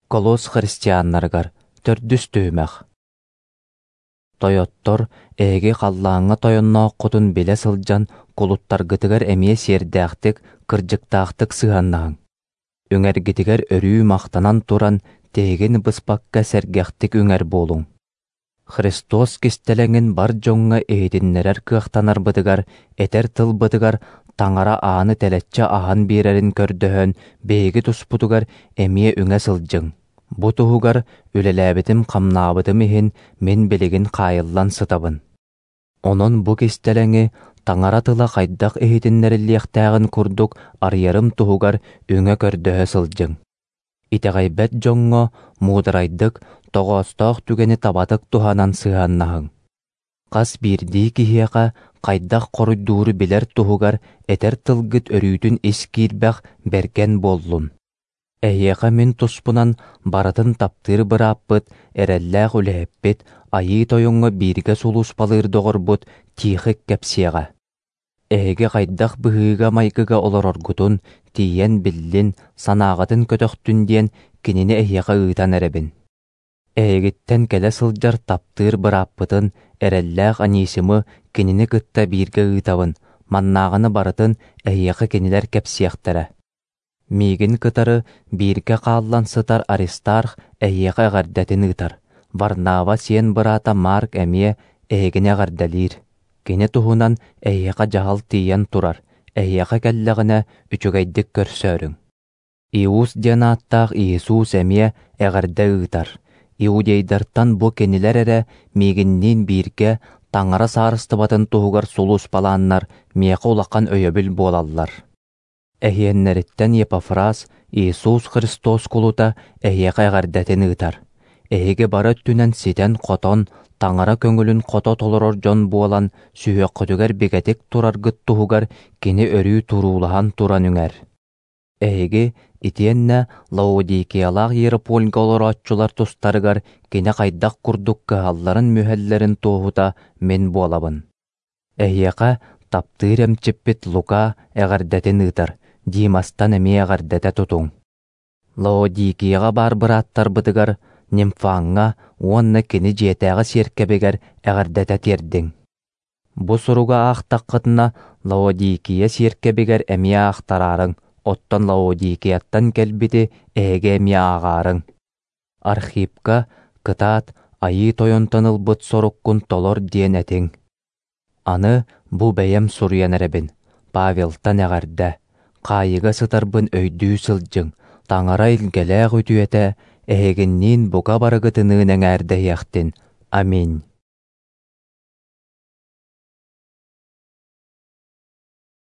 Колос христианнарыгар төрдүс түһүмэх. Тойоттор, эһиги халлааҥҥа тойоннооххутун билэ сылдьан, кулуттаргытыгар эмиэ сиэрдээхтик, кырдьыктаахтык сыһыаннаһыҥ. Үҥэргитигэр өрүү махтанан туран, тиһигин быспакка сэргэхтик үҥэр буолуҥ. Христос кистэлэҥин бар дьоҥҥо иһитиннэрэр кыахтанарбытыгар, этэр тылбытыгар Таҥара ааны тэлэччи аһан биэрэрин көрдөһөн, биһиги туспутугар эмиэ үҥэ сылдьыҥ. Бу туһугар үлэлээбитим-хамнаабытым иһин мин билигин хаайыллан сытабын. Онон бу кистэлэҥи Таҥара тыла хайдах иһитиннэриллиэхтээҕин курдук арыйарым туһугар үҥэ-көрдөһө сылдьыҥ. Итэҕэйбэт дьоҥҥо муударайдык, тоҕоостоох түгэни табатык туһанан сыһыаннаһыҥ. Хас биирдии киһиэхэ хайдах хоруйдууру билэр туһугар этэр тылгыт өрүүтүн ис киирбэх, бэргэн буоллун. Эһиэхэ мин туспунан барытын таптыыр бырааппыт, эрэллээх үлэһиппит, Айыы Тойоҥҥо бииргэ сулууспалыыр доҕорбут Тихик кэпсиэҕэ. Эһиги хайдах быһыыга-майгыга олороргутун тиийэн биллин, санааҕытын көтөхтүн диэн кинини эһиэхэ ыытан эрэбин. Эһигиттэн кэлэ сылдьар таптыыр бырааппытын, эрэллээх Анисимы кинини кытта бииргэ ыытабын, маннааҕыны барытын эһиэхэ кинилэр кэпсиэхтэрэ. Миигин кытары бииргэ хааллан сытар Аристарх эһиэхэ эҕэрдэтин ыытар, Варнава сиэн быраата Марк эмиэ эһигини эҕэрдэлиир. Кини туһунан эһиэхэ дьаһал тиийэн турар, эһиэхэ кэллэҕинэ үчүгэйдик көрсөөрүҥ. Иус диэн ааттаах Иисус эмиэ эҕэрдэ ыытар. Иудейдартан бу кинилэр эрэ миигинниин бииргэ Таҥара Саарыстыбатын туһугар сулууспалааннар миэхэ улахан өйөбүл буолаллар. Эһиэннэриттэн Епафрас, Иисус Христос кулута, эһиэхэ эҕэрдэтин ыытар. Эһиги бары өттүнэн ситэн-хотон, Таҥара көҥүлүн хото толорор дьон буолан, сүһүөххүтүгэр бигэтик тураргыт туһугар кини өрүү туруулаһан туран үҥэр. Эһиги итиэннэ Лаодикиялаах Иеропольга олорооччулар тустарыгар кини хайдах курдук кыһалларын-мүһэллэрин туоһута мин буолабын. Эһиэхэ таптыыр эмчиппит Лука эҕэрдэтин ыытар, Димастан эмиэ эҕэрдэтэ тутуҥ. Лаодикияҕа баар бырааттарбытыгар Нимфаҥҥа уонна кини дьиэтээҕи сиэркэбигэр эҕэрдэтэ тиэрдиҥ. Бу суругу аахтаххытына, Лаодикия сиэркэбигэр эмиэ аахтараарыҥ, оттон Лаодикияттан кэлбити эһиги эмиэ ааҕаарыҥ. Архипка кытаат, Айыы Тойонтон ылбыт соруккун толор диэн этиҥ. Аны бу бэйэм суруйан эрэбин, Павелтан эҕэрдэ, хаайыыга сытарбын өйдүү сылдьыҥ, Таҥара илгэлээх үтүөтэ эһигинниин бука барыгытыныын эҥээрдэһиэхтин. Аминь.